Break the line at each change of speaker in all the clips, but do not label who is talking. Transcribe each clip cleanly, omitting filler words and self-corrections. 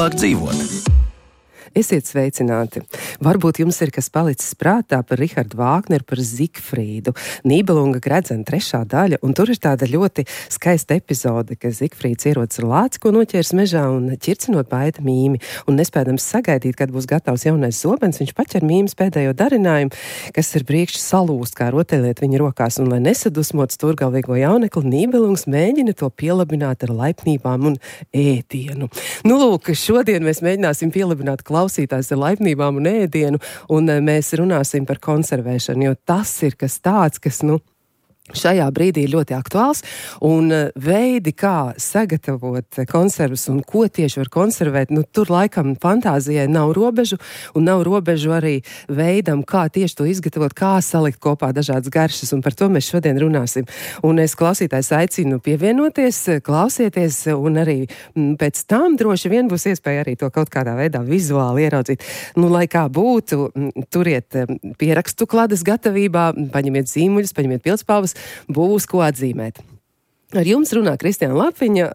labāk dzīvot.
Esiet sveicināti. Varbūt jums ir kas palicis prātā par Richardu Vāgneru, par Zigfrīdu. Nībelunga Gredzena 3. daļa, un tur ir tāda ļoti skaista epizode, ka Zigfrīds ierodas ar lāci, ko noķērs mežā un ķircinot baida mīmi. Un nespēdams sagaidīt, kad būs gatavs jaunais zobens, viņš paķer mīmas pēdējo darinājumu, kas ir priekš salūst, kā rotaļliet viņa rokās. Un, lai nesadusmot stūrgalvīgo jaunekli, Nībelungs mēģina to pielabināt ar laipnībām un ēdienu. Nu, lūk, šodien mēs mēģināsim pielabināt klausītājs ar laipnībām un ēdienu, un mēs runāsim par konservēšanu, jo tas ir kas tāds, kas, šajā brīdī ir ļoti aktuāls, un veidi, kā sagatavot konservas un ko tieši var konservēt, tur laikam fantāzijai nav robežu, un nav robežu arī veidam, kā tieši to izgatavot, kā salikt kopā dažādas garšas, un par to mēs šodien runāsim. Un es klausītājs aicinu pievienoties, klausieties, un arī pēc tam droši vien būs iespēja arī to kaut kādā veidā vizuāli ieraudzīt. Lai kā būtu, turiet pierakstu kladas gatavībā, paņemiet zīmuļus, paņemiet pildspalvas, būs ko atzīmēt. Ar jums runā Kristiāna Lapiņa,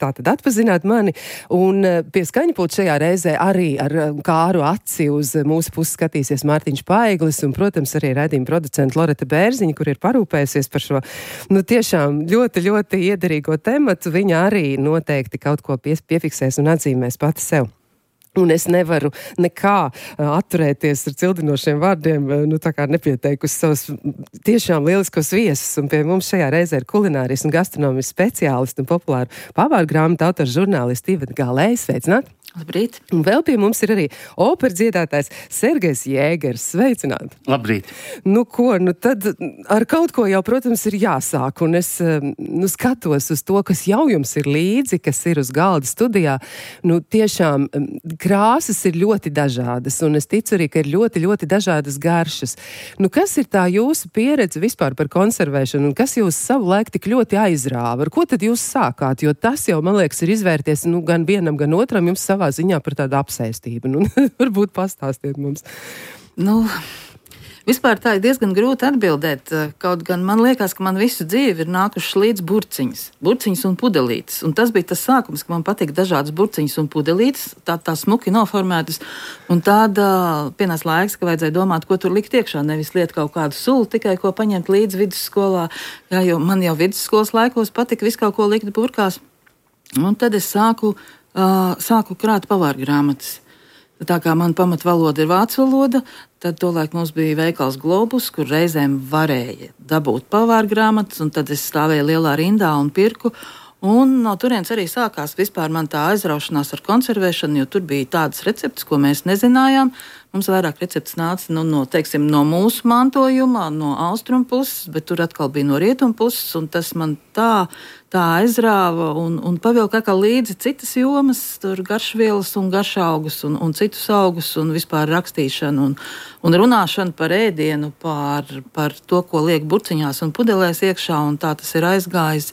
tātad atpazināt mani, un pie skaņpulta šajā reizē arī ar kāru aci uz mūsu pusi skatīsies Mārtiņš Paiglis, un, protams, arī raidījuma producenta Loreta Bērziņa, kur ir parūpējusies par šo, tiešām ļoti, ļoti iederīgo tematu. Viņa arī noteikti kaut ko piefiksēs un atzīmēs pati sev. Un es nevaru nekā atturēties ar cildinošiem vārdiem, tā kā nepieteikusi savus tiešām lieliskos viesus. Un pie mums šajā reizē ir kulināris un gastronomijas speciālisti un populāru pavāru grāmatu autors žurnālisti Iveta Galēja. Sveicināt!
Labrīt!
Un vēl pie mums ir arī operas dziedātājs Sergejs Jēgers. Sveicināt!
Labrīt!
Tad ar kaut ko jau, protams, ir jāsāk. Un es skatos uz to, kas jau jums ir līdzi, kas ir uz galda studijā. Tiešām krāsas ir ļoti dažādas, un es ticu arī, ka ir ļoti, ļoti dažādas garšas. Kas ir tā jūsu pieredze vispār par konservēšanu, un kas jūs savu laiku tik ļoti aizrāva? Ar ko tad jūs sākāt? Jo tas jau, man liekas, ir izvērties gan vienam, gan otram jums savā ziņā par tādu apsēstību. Varbūt pastāstiet mums.
Vispār tā ir diezgan grūti atbildēt, kaut gan man liekas, ka man visu dzīvi ir nākušas līdz burciņas un pudelītes. Un tas bija tas sākums, ka man patīk dažādas burciņas un pudelītes, tā smuki noformētas, un tāda pienāca laiks, ka vajadzēja domāt, ko tur likt iekšā, nevis liet kaut kādu sulu, tikai ko paņemt līdz vidusskolā, jo man jau vidusskolas laikos patika visu kaut ko likt burkās. Un tad es sāku krāt pavāru grāmatas. Tā kā man pamatvaloda ir vācu valoda, tad tolaik mums bija veikals Globus, kur reizēm varēja dabūt pavāru grāmatas, un tad es stāvēju lielā rindā un pirku. Un no turienes arī sākās vispār man tā aizraušanās ar konservēšanu, jo tur bija tādas receptes, ko mēs nezinājām. Mums vairāk receptes nāca no mūsu mantojuma, no austrumu puses, bet tur atkal bija no rietumu puses, un tas man tā aizrāva un pavilka kā līdzi citas jomas, tur garšvielas un garšaugus un citus augus un vispār rakstīšanu un runāšanu par ēdienu, par to, ko liek burciņās un pudelēs iekšā, un tā tas ir aizgājis.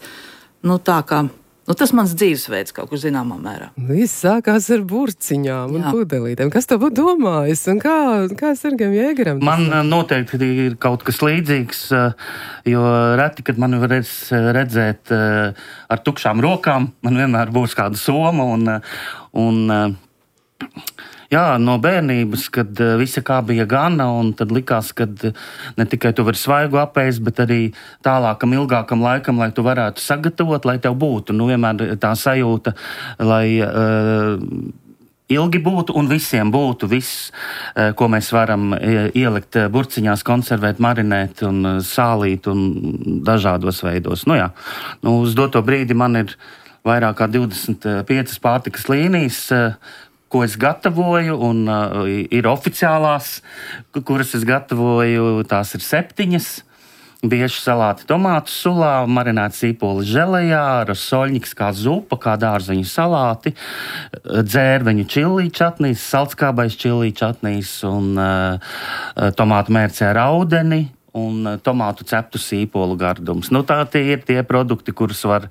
Tas mans dzīvesveids kaut kur zināmā mērā.
Viss sākās ar burciņām un pudelītēm. Kas tev būtu domājis un kā Sergejam Jēgeram?
Man noteikti ir kaut kas līdzīgs, jo reti, kad man varēs redzēt ar tukšām rokām, man vienmēr būs kāda soma un no bērnības, kad visa kā bija gana, un tad likās, ka ne tikai tu vari svaigu apēst, bet arī tālākam, ilgākam laikam, lai tu varētu sagatavot, lai tev būtu. Vienmēr tā sajūta, lai ilgi būtu un visiem būtu viss, ko mēs varam ielikt burciņās, konservēt, marinēt un sālīt un dažādos veidos. Uz doto brīdi man ir vairāk kā 25 pārtikas līnijas, ko es gatavoju, un ir oficiālās, kuras es gatavoju, tās ir 7. Bieži salāti tomātu sulā, marinēti sīpoli želejā, rasoļņiks kā zupa, kā dārzeņu salāti, dzērveņu čilī čatnīs, saltskābais čilī čatnīs un tomātu mērcē ar audeni un tomātu ceptu sīpolu gardums. Tie ir tie produkti, kurus var,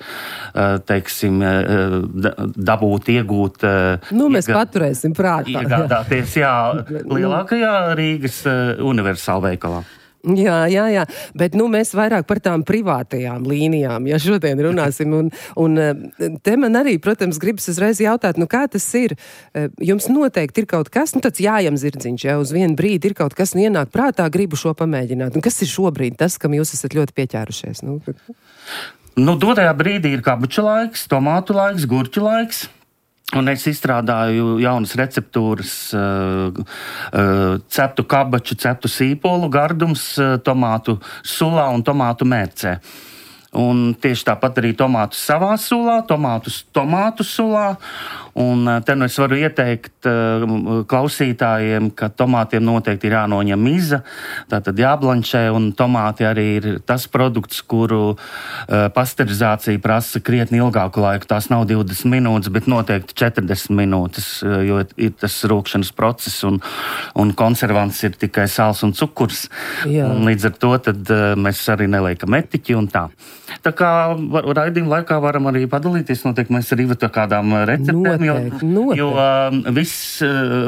dabūt, iegūt.
Mēs paturēsim prātā.
Iegādāties, lielākajā Rīgas universāla veikalā.
Jā, bet mēs vairāk par tām privātajām līnijām, ja šodien runāsim, un te man arī, protams, gribas uzreiz jautāt, kā tas ir? Jums noteikti ir kaut kas, tāds jājam zirdziņš, ja uz vienu brīdi ir kaut kas, ienāk prātā, gribu šo pamēģināt. Un kas ir šobrīd tas, kam jūs esat ļoti pieķērušies?
Dotajā brīdī ir kabuču laiks, tomātu laiks, gurķu laiks. Un es izstrādāju jaunas receptūras, ceptu kabaču, ceptu sīpolu gardums, tomātu sulā un tomātu mērcē. Un tieši tāpat arī tomātus savā sulā, tomātu sulā. Un te es varu ieteikt klausītājiem, ka tomātiem noteikti ir jānoņem miza, tātad jāblanšē, un tomāti arī ir tas produkts, kuru pasterizācija prasa krietni ilgāku laiku. Tās nav 20 minūtes, bet noteikti 40 minūtes, jo ir tas rūkšanas process, un konservants ir tikai sāls un cukurs. Un līdz ar to tad mēs arī neliekam etiķi un tā. Tā kā raidījuma laikā varam arī padalīties, noteikti mēs arī ar kādām receptēm. Jo viss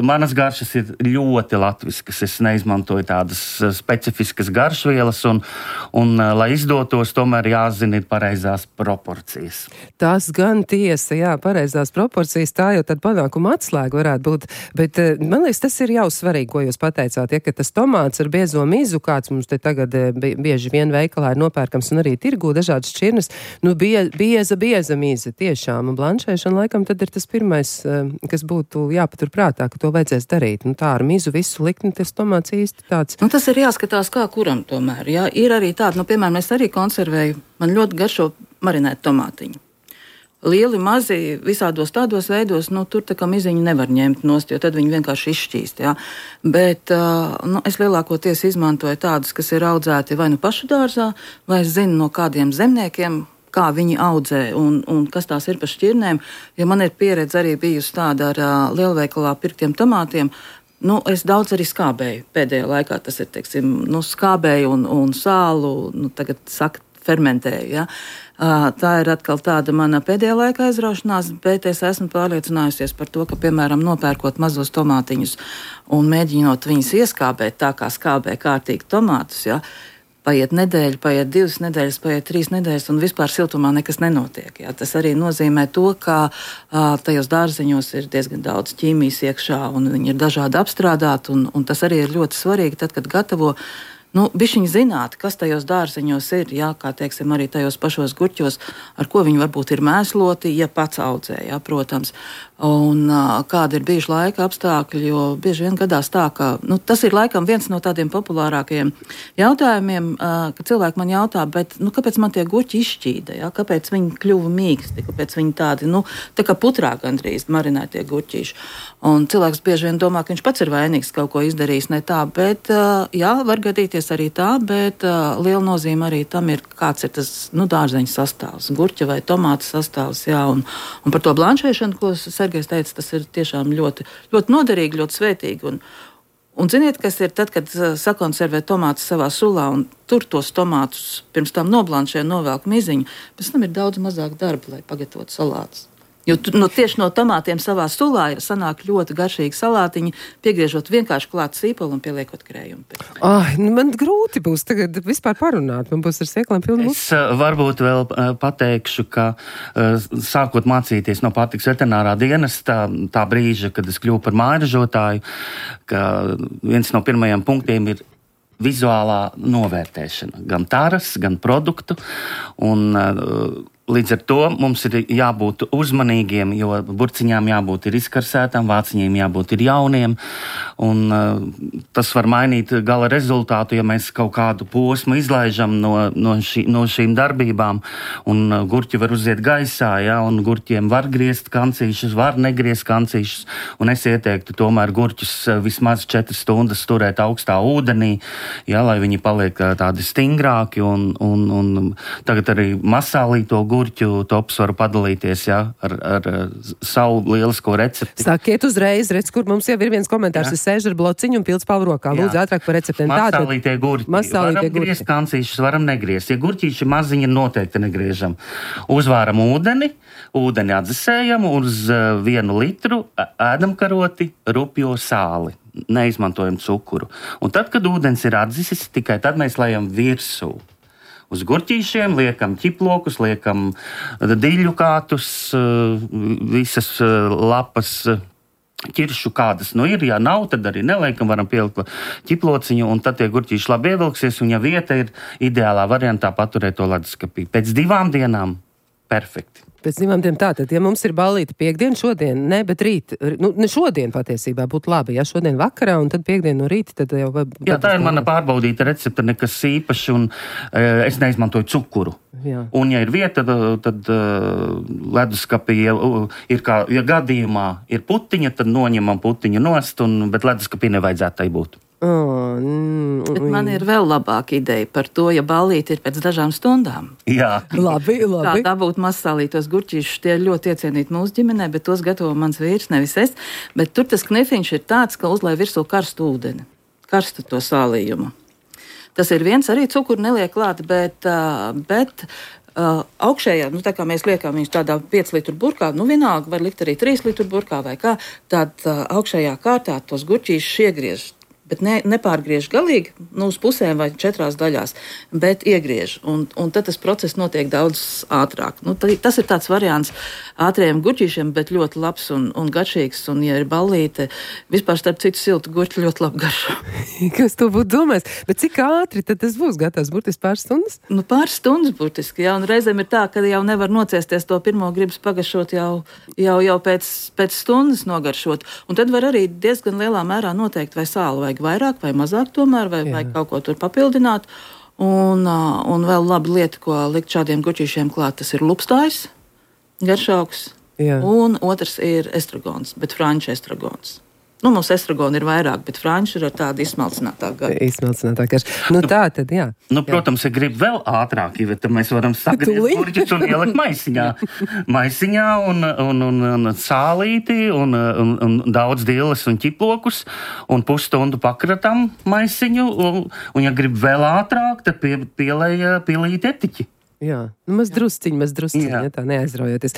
manas garšas ir ļoti latviskas. Es neizmantoju tādas specifiskas garšvielas, un lai izdotos, tomēr jāzina ir pareizās proporcijas.
Tas gan tiesa, jā, pareizās proporcijas, tā jau tad panākuma atslēga varētu būt. Bet man liekas, tas ir jau svarīgi, ko jūs pateicāt, ja, ka tas tomāts ar biezo mizu, kāds mums te tagad bieži vien veikalā ir nopērkams un arī tirgū dažādas šķirnes, bieza miza tiešām, un blanšēšana laikam tad ir tas pirmais, kas būtu jāpatur prātā, ka to vajadzēs darīt. Tā ar mizu visu likt, tas tomāts īsti tāds.
Tas ir jāskatās kā kuram tomēr. Jā. Ir arī tāda, piemēram, es arī konservēju, man ļoti garšo marinēt tomātiņu. Lieli, mazi, visādos tādos veidos, tur tā kā miziņu nevar ņemt nost, jo tad viņi vienkārši izšķīst, jā. Bet es lielākoties izmantoju tādus, kas ir audzēti vai pašu dārzā, vai es zinu no kādiem zemniekiem, kā viņi audzē un kas tās ir par šķirnēm. Ja man ir pieredze arī bijusi tāda ar lielveikalā pirktiem tomātiem, es daudz arī skābēju pēdējā laikā. Tas ir, skābēju un sālu, tagad saka, fermentēju, ja. Tā ir atkal tāda mana pēdējā laika aizraušanās, bet es esmu pārliecinājusies par to, ka, piemēram, nopērkot mazos tomātiņus un mēģinot viņus ieskābēt tā, kā skābē kārtīgi tomātus, ja, paiet nedēļa, paiet 2 nedēļas, paiet 3 nedēļas, un vispār siltumā nekas nenotiek. Jā. Tas arī nozīmē to, ka tajos dārzeņos ir diezgan daudz ķīmijas iekšā, un viņi ir dažādi apstrādāti, un tas arī ir ļoti svarīgi, tad, kad gatavo. Bišķiņi zināt, kas tajos dārzeņos ir, jā, kā teiksim, arī tajos pašos gurķos, ar ko viņi varbūt ir mēsloti, ja pats audzē, jā, protams. Un kādi ir bijuši laika apstākļi, jo bieži vien gadās tā, ka tas ir laikam viens no tādiem populārākajiem jautājumiem, ka cilvēki man jautā, bet kāpēc man tie gurķi izšķīda, jā, kāpēc viņi kļuva mīksti, kāpēc viņi tādi, tā kā putrā gandrīz marinētie gurķīši. Un cilvēks bieži vien domā, ka viņš pats ir vainīgs, kaut ko izdarījis ne tā, bet jā, var gadīties arī tā, bet liela nozīme arī tam ir, kāds ir tas dārzeņu sastāvs, gurķa vai tomāta sastāvs, jā, un par to blanšēšanu, ko Sergejs teica, tas ir tiešām ļoti, ļoti noderīgi, ļoti svētīgi, un ziniet, kas ir tad, kad sakonservē tomātus savā sulā un tur tos tomātus pirms tam noblanšē, novelk miziņu, pēc tam ir daudz mazāk darba, lai pagatavotu salātus. Jo tieši no tomātiem savā sulā sanāk ļoti garšīgi salātiņi, piegriežot vienkārši klāt sīpolu un pieliekot krējumu.
Man grūti būs tagad vispār parunāt, man būs ar sieklām pilnu.
Es varbūt vēl pateikšu, ka sākot mācīties no pārtikas veterinārā dienesta, tā brīža, kad es kļuvu par mājražotāju, ka viens no pirmajiem punktiem ir vizuālā novērtēšana. Gan taras, gan produktu. Un līdz ar to mums ir jābūt uzmanīgiem, jo burciņām jābūt ir izkarsētām, vāciņiem jābūt ir jauniem, un tas var mainīt gala rezultātu, ja mēs kaut kādu posmu izlaižam no šīm darbībām, un gurķi var uziet gaisā, ja, un gurķiem var griezt kancīšus, var negriezt kancīšus, un es ieteiktu tomēr gurķus vismaz 4 stundas turēt augstā ūdenī, ja, lai viņi paliek tādi stingrāki, un tagad arī masālīto gurķu tops varu padalīties, ja, ar savu lielisko recepti.
Sakiet uzreiz, redz, kur mums jau ir viens komentārs. Es sēžu ar blociņu un pildspalvu rokā. Lūdzu, ātrāk par receptēm.
Masālītie gurķi. Varam griezt kancīšus, varam negriezt. Ja gurķīši maziņi noteikti negriežam. Uzvāram ūdeni atdzesējam uz 1 litru ēdamkaroti rupjo sāli. neizmantojam cukuru. Un tad, kad ūdens ir atdzisis, tikai tad mēs lejam virsū. Uz gurķīšiem liekam ķiplokus, liekam diļu kātus, visas lapas, ķiršu kādas ir. Ja nav, tad arī neliekam, varam pielikt ķiplociņu, un tad tie gurķīši labi ievilksies, un ja vieta ir ideālā variantā paturēt to leduskapī. Pēc 2 dienām perfekti.
Pēc 2 dienām tātad, ja mums ir ballīte piekdien, šodien, ne, bet rīt, ne šodien patiesībā būtu labi, ja šodien vakarā un tad piekdien no rīta, tad jau...
Jā, tā ir mana pārbaudīta recepte, nekas īpaši, un es neizmantoju cukuru.
Jā.
Un, ja ir vieta, tad leduskapī ir kā, ja gadījumā ir putiņa, tad noņemam putiņu nost, bet leduskapī nevajadzētu tai būt.
Bet man ir vēl labāka ideja par to, ja ballīte ir pēc dažām stundām.
Jā.
Labi.
Kā dabūt mazsālītos gurķīšus, tie ir ļoti iecienīti mūsu ģimenē, bet tos gatavo mans vīrs, nevis es. Bet tur tas knefiņš ir tāds, ka uzlai virsū karstu ūdeni, karstu to sālījumu. Tas ir viens, arī cukuru neliek klāt, bet augšējā, tā kā mēs liekam viņus tādā 5 litru burkā, vienalga var likt arī 3 litru burkā vai kā, tad augšējā kārtā tos gurķīšus iegriež. Bet nepārgriež galīgi, uz pusēm vai 4 daļās, bet iegriež. Un tad tas process notiek daudz ātrāk. Tas ir tāds variants ātriem gurķīšiem, bet ļoti labs un garšīgs. Un, ja ir ballīte, vispār starp citu siltu gurķi ļoti labi garšo.
Kas to būtu domājis? Bet cik ātri tad tas būs gatavs? Burtiski pāris stundas?
Pāris stundas burtiski, jā. Un reizēm ir tā, ka jau nevar nociesties to pirmo gribas pagaršot jau pēc stundas nogaršot. Un tad var arī diezgan lielā mērā noteikt, vai sāli vajag vairāk vai mazāk tomēr, vai kaut ko tur papildināt. Un vēl laba lieta, ko likt šādiem gurķīšiem klāt, tas ir lupstājs, garšaugs.
Jā.
Un otrs ir estragons, bet franču estragons. Mums estragoni ir vairāk, bet franču ir ar tādu izsmalcinātāku garšu.
Izsmalcinātāku garšu. Tā tad, jā.
Protams, ja grib vēl ātrāk, tad mēs varam sagriezt gurķus un ielikt maisiņā un sālīti un daudz dīles un ķiplokus un pusstundu pakratam maisiņu. Un ja grib vēl ātrāk, tad pielēja pilīt etiķi.
Jā, maz drusciņi, ja tā neaizraujoties.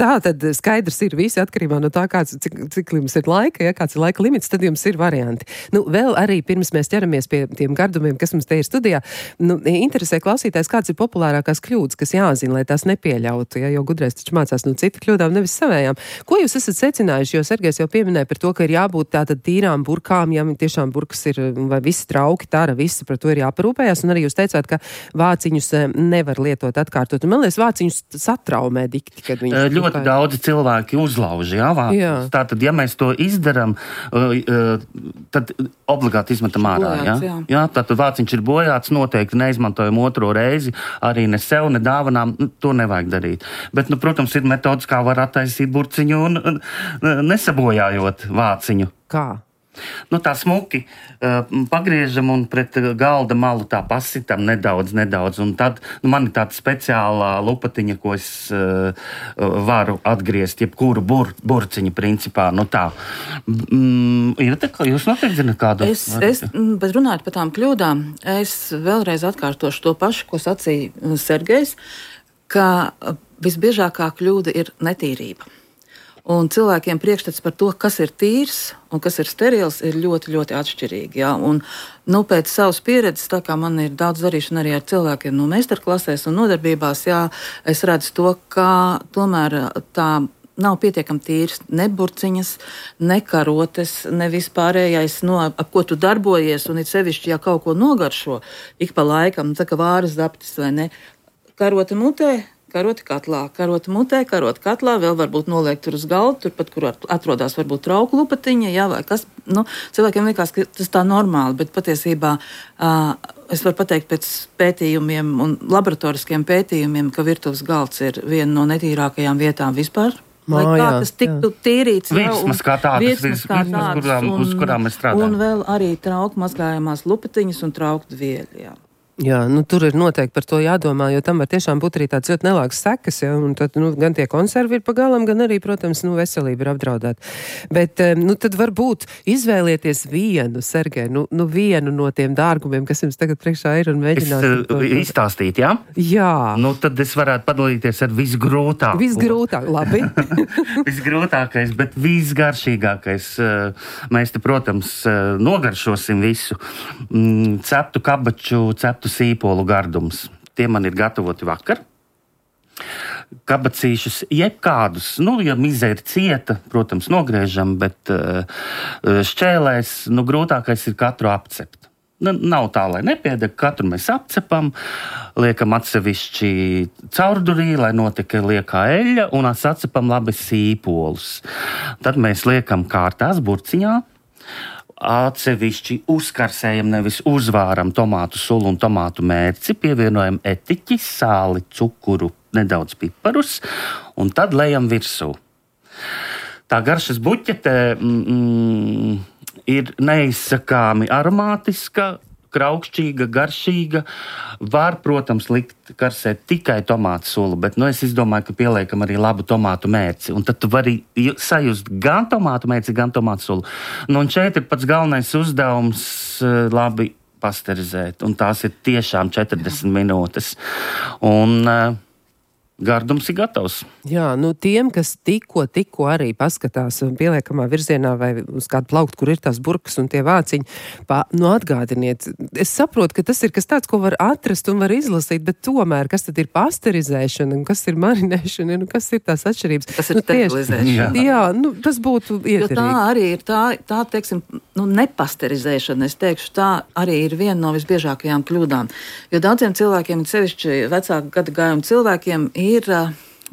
Tā tad skaidrs ir visi atkarībā no tā, cik jums ir laika, kāds ir laika limits, tad jums ir varianti. Vēl arī pirms mēs ķeramies pie tiem gardumiem, kas mums te ir studijā, interesē klausītājs, kāds ir populārākās kļūdas, kas jāzina, lai tās nepieļautu, jo gudrais taču mācās no citu kļūdām, nevis savējām. Ko jūs esat secinājuši, jo Sergejs jau pieminēja par to, ka ir jābūt tātad tīrām burkām, ja tiešām burkas ir, vai visi trauki, tāra, visi par to ir jāparūpējās, un arī jūs teicāt, ka vāciņus nevar lietot atkārtot. Un man liekas, vāciņus satraumē dikti, kad viņš...
Ļoti daudzi cilvēki uzlauž, vāciņus. Tātad, ja mēs to izdaram, tad obligāti izmetam ārā, jā? Tātad vāciņš ir bojāts, noteikti neizmantojam otro reizi, arī ne sev, ne dāvanām, to nevajag darīt. Bet, protams, ir metodas, kā var attaisīt burciņu un nesabojājot vāciņu.
Kā?
Tā smuki pagriežam un pret galda malu tā pasitam nedaudz. Un tad man ir tāda speciālā lupatiņa, ko es varu atgriezt, jebkuru burciņu principā. Tā. Ir tā, ka jūs noteikti zināt kādu?
Bet runājot par tām kļūdām, es vēlreiz atkārtošu to pašu, ko sacīja Sergejs, ka visbiežākā kļūda ir netīrība. Un cilvēkiem priekšstats par to, kas ir tīrs un kas ir sterils, ir ļoti, ļoti atšķirīgi. Jā. Un, pēc savas pieredzes, tā kā man ir daudz darīšana arī ar cilvēkiem no meistarklasēs un nodarbībās, es redzu to, ka tomēr tā nav pietiekami tīrs ne burciņas, ne karotes, ne vispārējais, ap ko tu darbojies, un it sevišķi, ja kaut ko nogaršo, ik pa laikam, tā kā vāras zaptis vai ne, karota mutē, karoti katlā, karoti mutē, karoti katlā, vēl varbūt noliekt tur uz galda, turpat, kur atrodas varbūt trauku lupatiņa, vai kas. Cilvēkiem liekas, ka tas tā normāli, bet patiesībā es varu pateikt pēc pētījumiem un laboratoriskiem pētījumiem, ka virtuves galds ir viena no netīrākajām vietām vispār. Lai kā tas tiktu tīrīts.
Virsmas kā tādas, uz kurām mēs strādājam.
Un vēl arī trauku mazgājamās lupatiņas un trauku dvieļi, jā.
Jā, tur ir noteikti par to jādomā, jo tam var tiešām būt arī tāds ļoti nelāks sekas, ja, un tad, gan tie konservi ir pagalam, gan arī, protams, veselība ir apdraudēta. Bet, tad varbūt izvēlieties vienu, Sergej, vienu no tiem dārgumiem, kas jums tagad priekšā ir un mēģināt.
Izstāstīt, jā?
Jā.
Tad es varētu padalīties ar visgrūtāko.
Visgrūtāk, labi.
Visgrūtākais, bet visgaršīgākais. Mēs te, protams, nogaršosim visu. Ceptu kabaču, ceptu sīpolu gardums. Tie man ir gatavoti vakar. Kabacīšus jebkādus, ja mize ir cieta, protams, nogriežam, bet šķēlēs, grūtākais ir katru apcept. Nav tā, lai nepiedeg, katru mēs apcepam, liekam atsevišķi caurdurī, lai notiek liekā eļļa, un atcepam labi sīpolus. Tad mēs liekam kārtās burciņā, atsevišķi uzkarsējam, nevis uzvāram tomātu sulu un tomātu mērci, pievienojam etiķi, sāli, cukuru, nedaudz piparus, un tad lejam virsū. Tā garšas buķete ir neizsakāmi aromātiska, kraukšķīga, garšīga. Var, protams, likt karsēt tikai tomātu sulu, bet es izdomāju, ka pieliekam arī labu tomātu mērci. Un tad tu vari sajust gan tomātu mērci, gan tomātu sulu. Un šeit ir pats galvenais uzdevums labi pasterizēt. Un tās ir tiešām 40 minūtes. Un gardums ir gatavs.
Jā, tiem, kas tikko arī paskatās pieliekamā virzienā vai uz kādu plauktu, kur ir tās burkas un tie vāciņi, atgādiniet. Es saprotu, ka tas ir kas tāds, ko var atrast un var izlasīt, bet tomēr, kas tad ir pasterizēšana, kas ir marinēšana, kas ir tās atšķirības?
Tas ir sterilizēšana.
Jā, tas būtu ieterīgi.
Jo tā arī ir tā teiksim, nepasterizēšana, es teikšu, tā arī ir viena no visbiežākajām kļūdām. Jo daudziem cilvēkiem, sevišķi vecāku gadu gājumu cilvēkiem, ir,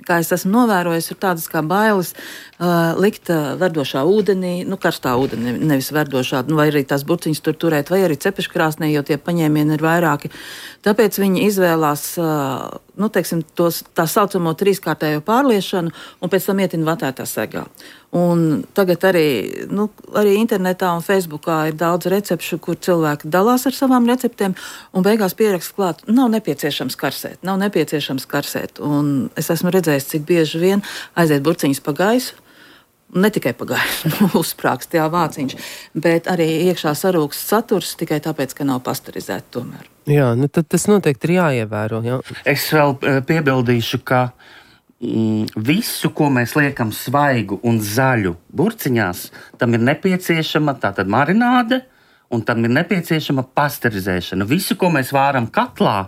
kā es esmu novērojis, ir tādas kā bailes likt verdošā ūdenī, karstā ūdenī, nevis verdošā, vai arī tās burciņas tur turēt, vai arī cepeškrāsnī, jo tie paņēmieni ir vairāki. Tāpēc viņi izvēlās, tā saucamo trīskārtējo pārliešanu un pēc tam ietina vatētā segā. Un tagad arī internetā un Facebookā ir daudz recepšu, kur cilvēki dalās ar savām receptēm un beigās pierakst klāt, nav nepieciešams karsēt. Un es esmu redzējis, cik bieži vien aiziet burciņas pa gaisu, ne tikai pa gaisu, uzsprāgst vāciņš, bet arī iekšā sarūkst saturs tikai tāpēc, ka nav pasterizēti tomēr.
Jā, tad tas noteikti ir jāievēro. Jā.
Es vēl piebildīšu, ka visu, ko mēs liekam svaigu un zaļu burciņās, tam ir nepieciešama tātad marināde un tam ir nepieciešama pasterizēšana. Visu, ko mēs vāram katlā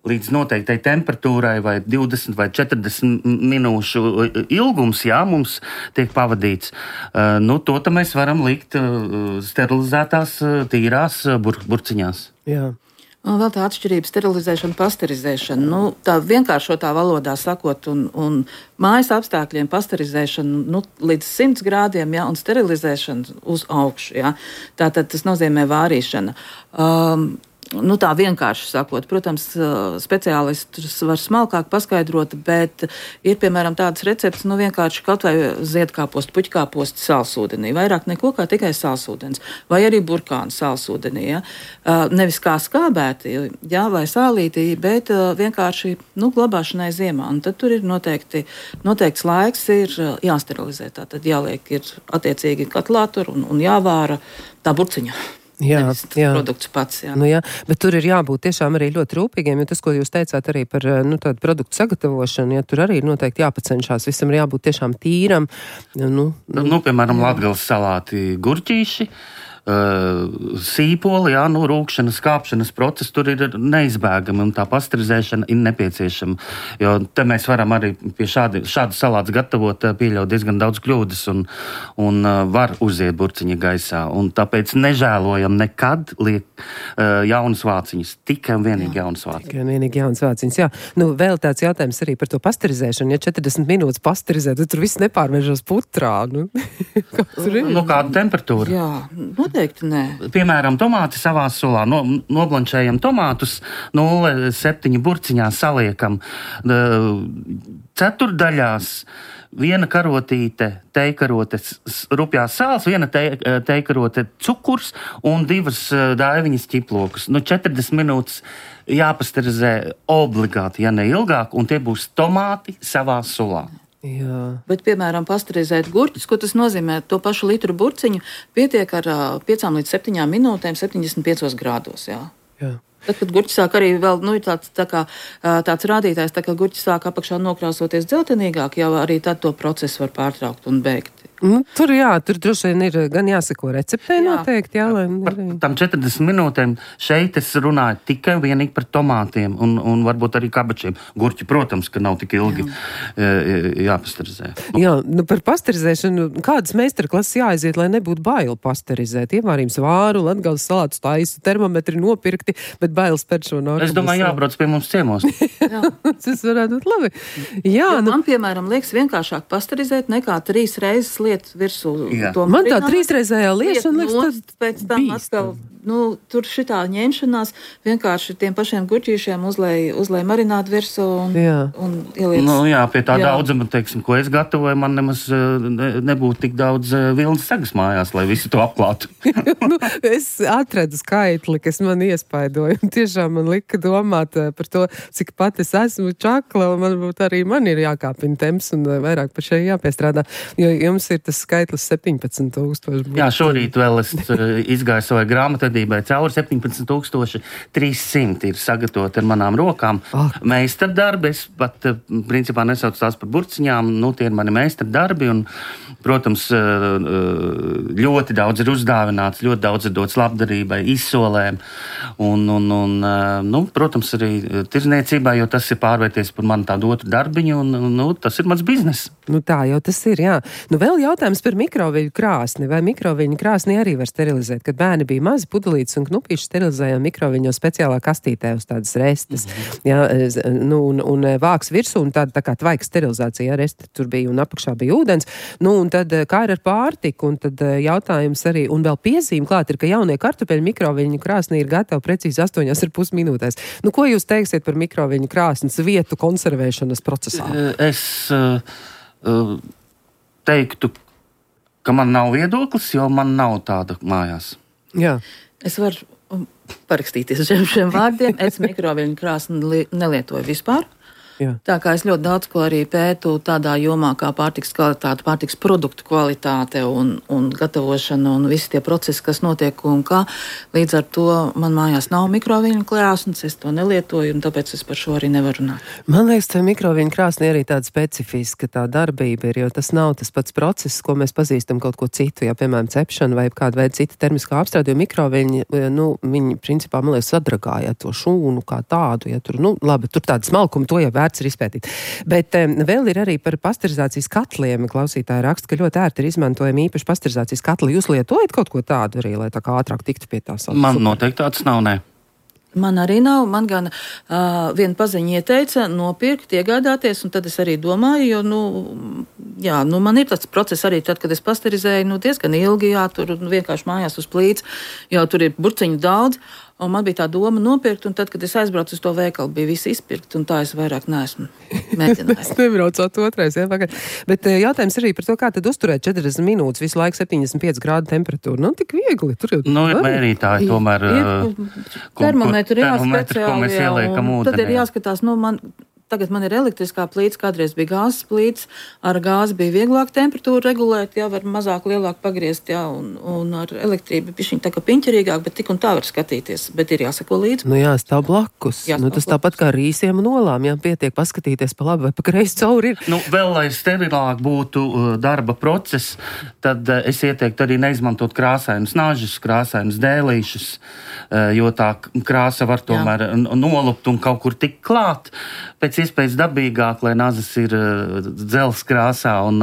līdz noteiktai temperatūrai vai 20 vai 40 minūšu ilgums, mums tiek pavadīts. To mēs varam likt sterilizētās, tīrās burciņās.
Jā.
Un vēl tā atšķirība sterilizēšana, pasterizēšana. Tā vienkāršotā valodā sakot, un mājas apstākļiem pasterizēšana līdz 100 grādiem, un sterilizēšana uz augšu. Tātad tas nozīmē vārīšana. Tā vienkārši sakot, protams, speciālistus var smalkāk paskaidrot, bet ir, piemēram, tādas receptes, vienkārši kaut vai ziedkāpostu, puķkāpostu sālsūdenī, vairāk neko kā tikai sālsūdens, vai arī burkānu sālsūdenī, nevis kā skābēti, vai sālītī, bet vienkārši, glabāšanai ziemā, un tad tur ir noteikts laiks ir jāsterilizē, tad jāliek ir attiecīgi katlā tur un jāvāra tā burciņa. Jā. Produkts pats, jā.
Jā. Bet tur ir jābūt tiešām arī ļoti rūpīgiem, jo tas, ko jūs teicāt arī par tādu produktu sagatavošanu, tur arī ir noteikti jāpacenšās. Visam ir jābūt tiešām tīram.
Piemēram, Latgales salāti gurķīši, sīpoli, rūkšanas, kāpšanas process tur ir neizbēgami un tā pasterizēšana ir nepieciešama. Jo te mēs varam arī pie šādu salātu gatavot, pieļaut diezgan daudz kļūdas un var uziet burciņa gaisā. Un tāpēc nežēlojam nekad liekt jaunas vāciņas. Tikai un vienīgi jaunas vāciņas.
Tikai un vienīgi jaunas vāciņas, jā. Vēl tāds jautājums arī par to pasterizēšanu. Ja 40 minūtes pasterizē, tad tur viss nepārvēršas putrā.
Kāda temperatūra?
Jā, noteikti nē.
Piemēram, tomāti savā sulā. Noblančējam tomātus, 0,7 burciņā saliekam ceturdaļās. Viena karotīte, tejkarote, rupjās sāls, viena tejkarote cukurs un 2 daiviņas ķiplokus. 40 minūtes jāpasterizē obligāti, ja ne ilgāk, un tie būs tomāti savā sulā.
Jā.
Bet, piemēram, pasterizēt gurķus, ko tas nozīmē, to pašu litru burciņu pietiek ar 5 līdz 7 minūtēm 75 grādos. Jā. Tad, kad gurķis sāk arī vēl, tāds rādītājs, tā kā gurķis sāk apakšā nokrāsoties dzeltenīgāk, jau arī tad to procesu var pārtraukt un beigt.
Tur droši vien ir gan jāsako receptē noteikti, jā, lai...
Par tam 40 minūtēm šeit es runāju tikai vienīgi par tomātiem un varbūt arī kabačiem. Gurķi, protams, ka nav tik ilgi jāpasterizē.
Jā, par pasterizēšanu, kādas meistarklases jāaiziet, lai nebūtu baili pasterizēt? Ievārījums vāru, Latgales salātus taisa, termometri nopirkti, bet bailes pēc šo nākumus.
Es domāju, jābrauc pie mums ciemos.
Tas varētu būt labi. Jā,
man, piemēram, liekas vienkāršāk pasterizēt nekā 3 reizes liet virsū.
Man tā 3-reizējā liešana liekas
pēc tam atkal, tur šitā ņemšanās vienkārši tiem pašiem gurķīšiem uzlej marinātu virsū un ieliec.
Pie tā daudzuma, teiksim, ko es gatavoju, man nemaz nebūtu tik daudz vilnas sagas mājās, lai visu to apklātu.
Es atradu skaitli, kas man iespaidoja, un tiešām man lika domāt par to, cik pat es esmu čakla, un varbūt arī man ir jākāpina temps un vairāk par šeit jāpiestrādā, jo jums ir tas skaitlis 17,000.
Jā, šorīt vēl es izgāju savai grāmatvedībai cauri 17,300 ir sagatavoti ar manām rokām. Meistardarbi, es pat principā nesaucu tās par burciņām, tie ir mani meistardarbi un, protams, ļoti daudz ir uzdāvināts, ļoti daudz ir dots labdarībai, izsolēm un protams, arī tirzniecībā, jo tas ir pārvērties par mani tādu otru darbiņu un tas ir mans biznes.
Tā jau tas ir, jā. Vēl jautājums par mikroviļņu krāsni. Vai mikroviļņu krāsni arī var sterilizēt? Kad bērni bija mazi pudelītes un knupīši, sterilizējām mikroviļņu speciālā kastītē uz tādas restes. Jā, un vāks virsū un tāda tā kā tvaiks sterilizācija, resti tur bija un apakšā bija ūdens. Un tad kā ir ar pārtiku? Un tad jautājums arī, un vēl piezīme klāt ir, ka jaunie kartupeļu mikroviļņu krāsnī ir gatavi precīzi 8,5 minūtēs. Ko jūs teiksiet par mikroviļņu krāsnes vietu konservēšanas procesā?
Es teiktu, ka man nav viedoklis, jo man nav tāda mājās.
Jā.
Es varu parakstīties šiem vārdiem. Es mikroviļņu krāsni nelietoju vispār.
Jā.
Tā kā es ļoti daudz ko arī pētu tādā jomā kā pārtiks kvalitāte, pārtiks produktu kvalitāte un gatavošana un visi tie procesi, kas notiek un kā. Līdz ar to man mājās nav mikroviļņu krāsnes, es to nelietoju un tāpēc es par šo arī nevaru runāt.
Man liekas, ka mikroviļņu krāsnī arī tāda specifiska tā darbība ir, jo tas nav tas pats process, ko mēs pazīstam kaut ko citu, ja piemēram cepšana vai kāda veida cita termiskā apstrāde, jo mikroviļņi, viņi principā, man liekas, sadragāja to šūnu kā tādu, ja tur, labi, tur tāda smalkuma, to jau vērts ir izpētīt. Bet vēl ir arī par pasterizācijas katliem. Klausītāji raksta, ka ļoti ērti ir izmantojami īpaši pasterizācijas katli. Jūs lietojat kaut ko tādu arī, lai tā kā ātrāk tiktu pie tās?
Man noteikti tāds nav, nē.
Man arī nav. Man gan viena paziņa ieteica nopirkt, iegādāties, un tad es arī domāju, jo, man ir tāds process arī tad, kad es pasterizēju, diezgan ilgi, tur vienkārši mājās uz plīts, jo tur ir burciņu daudz. Un man bija tā doma nopirkt, un tad, kad es aizbraucu uz to veikalu, bija visi izpirkt, un tā es vairāk neesmu mēģinājis.
Es nebraucot otrais, jā, pagaid. Bet jautājums arī par to, kā tad uzturēt 40 minūtes, visu laiku 75 grādu temperatūru. Ir viegli. Tur jau...
ir mērītāji tomēr.
Termometri,
ko mēs ieliekam ūdenī.
Tad ir jāskatās, Tagad man ir elektriskā plīts, kādreiz bija gāzes plīts. Ar gāzi bija vieglāk temperatūru regulēt, var mazāk, lielāk pagriezt, un ar elektrību bišķiņ tā kā piņķerīgāk, bet tik un tā var skatīties, bet ir jāsako līdzi.
Stāv blakus. Tas tāpat kā rīsiem un olām, pietiek paskatīties pa labi vai pa kreisi cauri ir.
Vēl, lai sterilāk būtu darba process, tad es ieteiktu arī neizmantot krāsainus nažus, krāsainus dēlīšus, jo tā krāsa var tomēr nolupt un kaut kur tik klāt. Pēc iespējas dabīgāk, lai nazas ir dzels krāsā un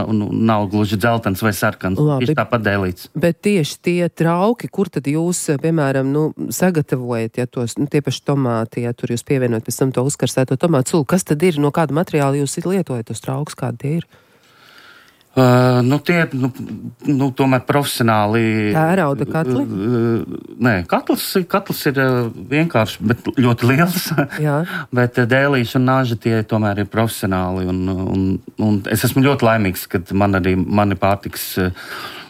nav gluži dzeltens vai sarkans. Tieši tāpat dēlīts.
Bet tieši tie trauki, kur tad jūs, piemēram, sagatavojat, tie paši tomāti, tur jūs pievienojat pēc tam to uzkarstēto tomātu sulu, kas tad ir, no kāda materiāla jūs lietojat tos traukus, kādi tie ir?
Tomēr profesionāli.
Tērauda katli?
Nē, katls ir vienkārši, bet ļoti liels. Bet dēlīši un nāži tie tomēr ir profesionāli. Un es esmu ļoti laimīgs, ka mani pārtiks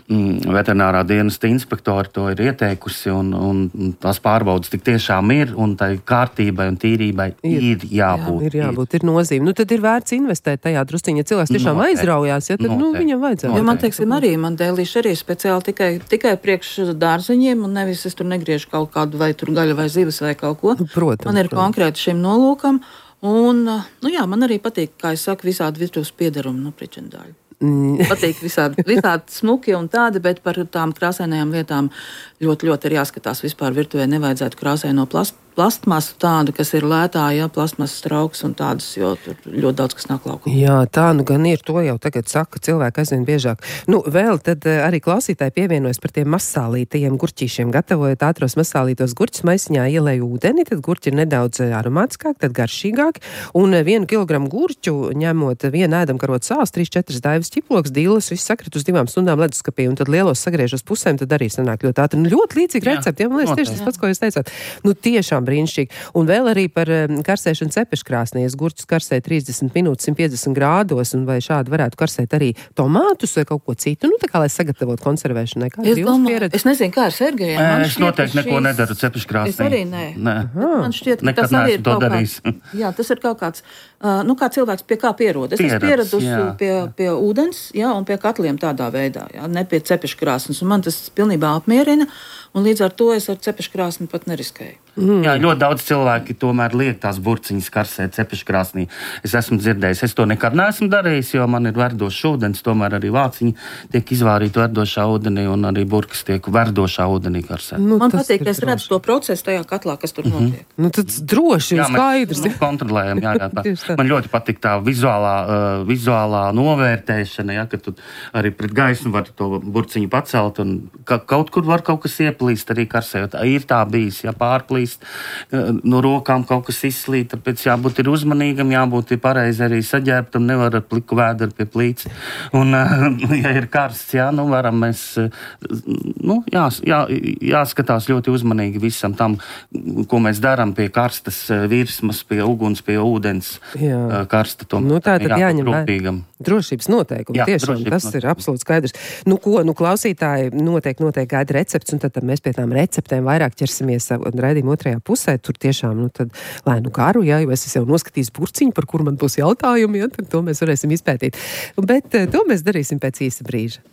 veterinārā dienesta inspektori to ir ieteikusi, un tās pārbaudas tik tiešām ir, un tai kārtībai un tīrībai ir jābūt.
Ir nozīme. Nu, tad ir vērts investēt tajā drusciņā. Ja cilvēks tiešām aizraujās, ja, tad viņam vajadzētu.
Jo man, teiksim, man dēlīši arī speciāli tikai priekš dārzeņiem, un nevis es tur negriežu kaut kādu vai tur gaļu vai zivis vai kaut ko.
Protams,
man ir konkrēti šim nolūkam, un, man arī patīk, kā es saku, visādi virtuves piedarumi, pričendāļi. Patīk visādi smuki un tādi, bet par tām krāsainajām lietām ļoti, ļoti ir jāskatās. Vispār virtuvē nevajadzētu krāsaino plastmasu tādu, kas ir lētā, plastmasas trauks un tādas, jo tur ļoti daudz kas nāk laukā.
Jā, tā nu gan ir, to jau tagad saka cilvēki aizvien biežāk. Vēl tad arī klausītāji pievienojas par tiem masālītajiem gurķīšiem. Gatavojot ātros masālītos gurķus, maisiņā ielēju ūdeni, tad gurķi ir nedaudz aromātiskāk, tad garšīgāk, un 1 kilogramu gurķu ņemot 1 ēdamkarotu sāls, 3-4 daivas ķiploks, dīles, viss sakrit uz 2 stundām leduskapī, un tad lielos sagriež uz pusēm, tad arī sanāk ļoti ātri. Ļoti līdzīgi recepti, man liekas, tieši tas pats, ko jūs teicāt. Tiešām brīnišķīgi. Un vēl arī par karsēšanu cepeškrāsnī. Gurķus karsē 30 minūtes 150 grādos, un vai šādi varētu karsēt arī tomātus vai kaut ko citu, tā kā lai sagatavotu konservēšanai.
Es nezinu, kā ar Sergejiem.
Es noteikti neko nedaru cepeškrāsnī.
Es arī nē. Man šķiet, ka tas arī ir kaut kāds. Jā, tas ir kaut kāds, kā cilvēks pie kā pierod. Es esmu pieradusi pie ūdens, un pie katliem tādā veidā, ne pie cepeškrāsnes, un man tas pilnībā apmierina. Un līdz ar to es ar cepeškrāsni pat neriskēju.
Jā, ļoti daudz cilvēki tomēr liek tās burciņas karsēt cepeškrāsnī. Es esmu dzirdējis, es to nekad neesmu darījis, jo man ir verdošs ūdens, tomēr arī vāciņi tiek izvārīti verdošā ūdenī un arī burkas tiek verdošā ūdenī karsēt.
Man patīk, ka es redzu to procesu tajā katlā, kas tur notiek.
Tas droši ir skaidrs.
Mēs kontrolējam, Man ļoti patīk tā vizuālā novērtēšana, ka tu arī pret gaismu var to burciņu pacelt un kaut kur var kaut kas ieplīst arī karsējot. Ir tā bijis, pārplīst, no rokām kaut kas izslīt, tāpēc jābūt ir uzmanīgam, jābūt ir pareizi arī saģērbtam, nevar ar pliku vēderu pie plīts. Un, ja ir karsts, varam mēs, jāskatās ļoti uzmanīgi visam tam, ko mēs darām pie karstas virsmas, pie uguns, pie ūdens, karsta tomēr.
Tātad jāņem rūpīgam. Drošības noteikumi, tiešām, tas ir absolūti skaidrs. Klausītāji noteikti gaida recepts, un tad mēs pie tām receptēm vairāk ķersimies raidījuma otrajā pusē. Tur tiešām, tad lēnu karu, jo es jau noskatījis burciņu, par kuru man būs jautājumi, tad to mēs varēsim izpētīt. Bet to mēs darīsim pēc īsa brīža.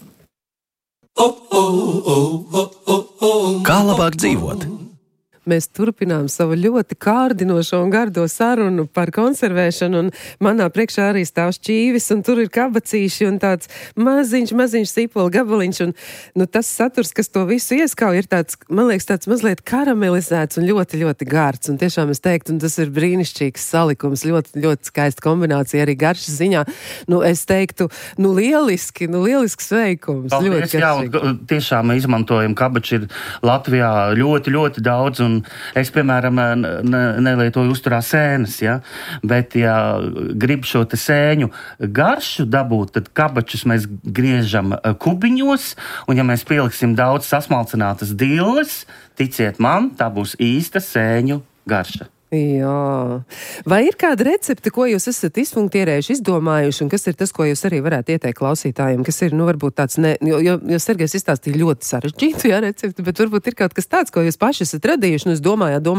Kā labāk dzīvot?
Mēs turpinām savu ļoti kārdinošo un gardo sarunu par konservēšanu, un manā priekšā arī stāv šķīvis, un tur ir kabacīši un tāds maziņš sīpola gabaliņš, un tas saturs, kas to visu ieskauj, ir tāds, man liekas, tāds mazliet karamelizēts un ļoti, ļoti gārds, un tiešām es teiktu, un tas ir brīnišķīgs salikums, ļoti, ļoti skaista kombinācija arī garšas ziņā. Es teiktu, lielisks veikums.
Paldies, tiešām izmantojam kabači ir Latvijā ļoti, ļoti daudz, un es, piemēram, nelietoju uzturā sēnes, bet, ja grib šo te sēņu garšu dabūt, tad kabačus mēs griežam kubiņos, un ja mēs pieliksim daudz sasmalcinātas dilles, ticiet man, tā būs īsta sēņu garša.
Jā. Vai ir kāda recepte, ko jūs esat izpunktierējuši, izdomājuši, un kas ir tas, ko jūs arī varētu ieteikt klausītājiem, kas ir, varbūt tāds, jo Sergejs izstāstīja ļoti sarežģītu, recepti, bet varbūt ir kaut kas tāds, ko jūs paši esat radījuši, un jūs domājāt,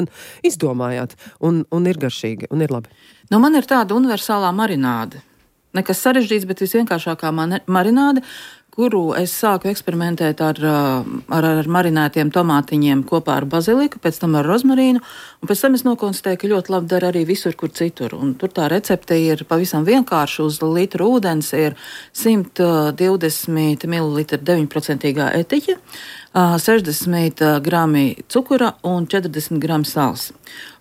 un izdomājāt, un ir garšīgi, un ir labi.
Man ir tāda universālā marināde. Nekas sarežģīts, bet visvienkāršākā marināde, kuru es sāku eksperimentēt ar marinētiem tomātiņiem kopā ar baziliku, pēc tam ar rozmarīnu, un pēc tam es nokonstatēju, ka ļoti labi dara arī visur, kur citur. Un tur tā recepte ir pavisam vienkārša. Uz litru ūdens ir 120 ml 9% etiķa, 60 grami cukura un 40 grami sāls.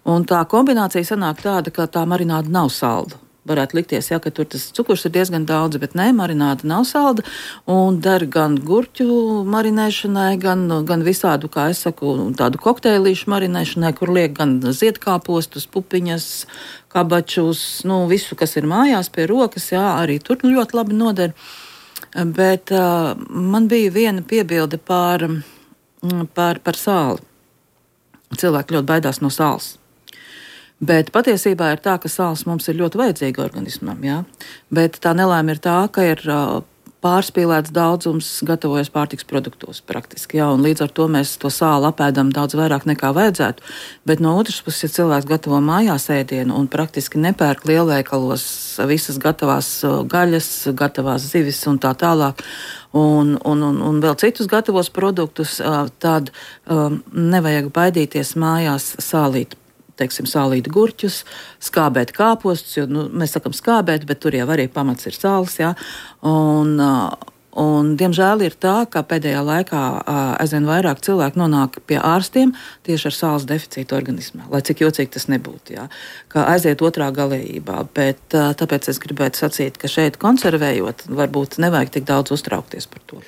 Un tā kombinācija sanāk tāda, ka tā marināde nav salda. varētu likties, ka tur tas cukurs ir diezgan daudz, bet nē, marināda nav salda un der gan gurķu marinēšanai, gan visādu, kā es saku, tādu kokteilīšu marinēšanai, kur liek gan ziedkāpostus, pupiņas, kabačus, visu, kas ir mājās pie rokas, arī tur ļoti labi noder. Bet man bija viena piebilde par sāli. Cilvēki ļoti baidās no sāls. Bet patiesībā ir tā, ka sāls mums ir ļoti vajadzīga organismam. Jā? Bet tā nelēma ir tā, ka ir pārspīlēts daudzums gatavojas pārtiks produktos praktiski. Jā? Un līdz ar to mēs to sāli apēdam daudz vairāk nekā vajadzētu. Bet no otras puses, ja cilvēks gatavo mājās ēdienu un praktiski nepērk lielveikalos visas gatavās gaļas, gatavās zivis un tā tālāk, un vēl citus gatavos produktus, tad nevajag baidīties mājās sālīt. Teiksim, sālīt gurķus, skābēt kāpostus, jo mēs sakam skābēt, bet tur jau arī pamats ir sāls, jā. Un diemžēl ir tā, ka pēdējā laikā aizvien vairāk cilvēku nonāk pie ārstiem tieši ar sāls deficītu organismā, lai cik jocīgi tas nebūtu, jā, ka aiziet otrā galējībā, bet tāpēc es gribētu sacīt, ka šeit konservējot, varbūt nevajag tik daudz uztraukties par to.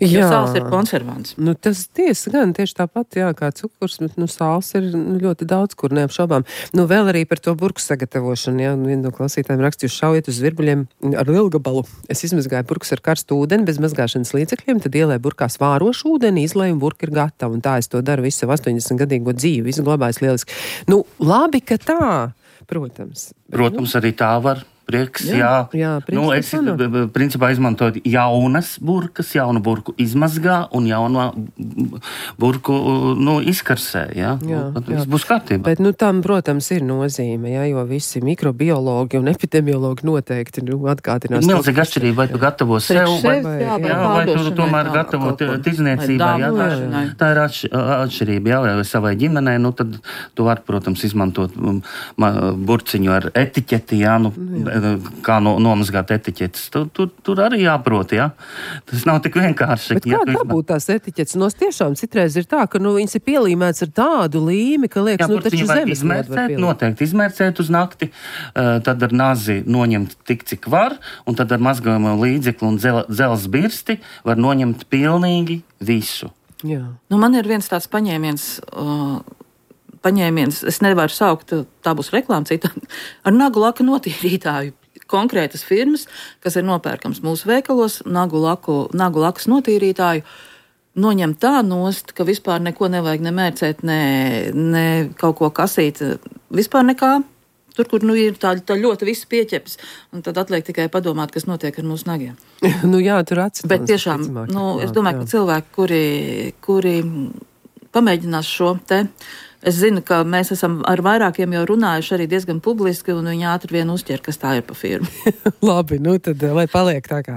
Jo sāls ir konservants.
Tas tiesa gan tieši tāpat, kā cukurs, bet sāls ir ļoti daudz, kur neapšaubām. Vēl arī par to burku sagatavošanu, viena no klausītājiem rakstījuši šaujiet uz virbuļiem ar lielgabalu. Es izmazgāju burkus ar karstu ūdeni, bez mazgāšanas līdzekļiem, tad ielēju burkā svārošu ūdeni, izlēju un burka ir gatava. Un tā es to daru visu 80-gadīgo dzīvi, visu glabājas lieliski. Labi, ka tā, protams.
Protams, arī tā var. Prieks, jā. Es principā izmantoju jaunas burkas, jaunu burku izmazgā un jaunu burku izkarsē. Tas būs kārtībā.
Bet tam, protams, ir nozīme, jo visi mikrobiologi un epidemiologi noteikti atgādinās.
Milzīga atšķirība, vai tu gatavo sev, vai tu tomēr gatavo tirzniecībai. Tā ir atšķirība, vai savai ģimenei, tad tu vari, protams, izmantot burciņu ar etiķeti, kā nomazgāt etiķetes. Tur arī jāprot, Tas nav tik vienkārši.
Bet kā dabūt tās etiķetes? Tiešām citreiz ir tā, ka viņas ir pielīmēts ar tādu līmi, ka liekas, taču zemes
izmērcēt, noteikti izmērcēt uz nakti, tad ar nazi noņemt tik, cik var, un tad ar mazgājumu līdzekli un dzelzs birsti var noņemt pilnīgi visu.
Jā.
Man ir viens tāds paņēmiens, es nevaru saukt, tā būs reklāma citādi, ar nagu laka notīrītāju. Konkrētas firmas, kas ir nopērkams mūsu veikalos, nagu lakas notīrītāju, noņem tā nost, ka vispār neko nevajag nemērcēt, ne kaut ko kasīt, vispār nekā. Tur, kur ir tā ļoti viss pieķeps, un tad atliek tikai padomāt, kas notiek ar mūsu nagiem.
Tur atcīmās.
Bet tiešām, es domāju, ka cilvēki, kuri pamēģinās šo te, es zinu, ka mēs esam ar vairākiem jau runājuši arī diezgan publiski, un viņi ātri vien uzķer, kas tā ir pa firmu.
Labi, tad lai paliek tā kā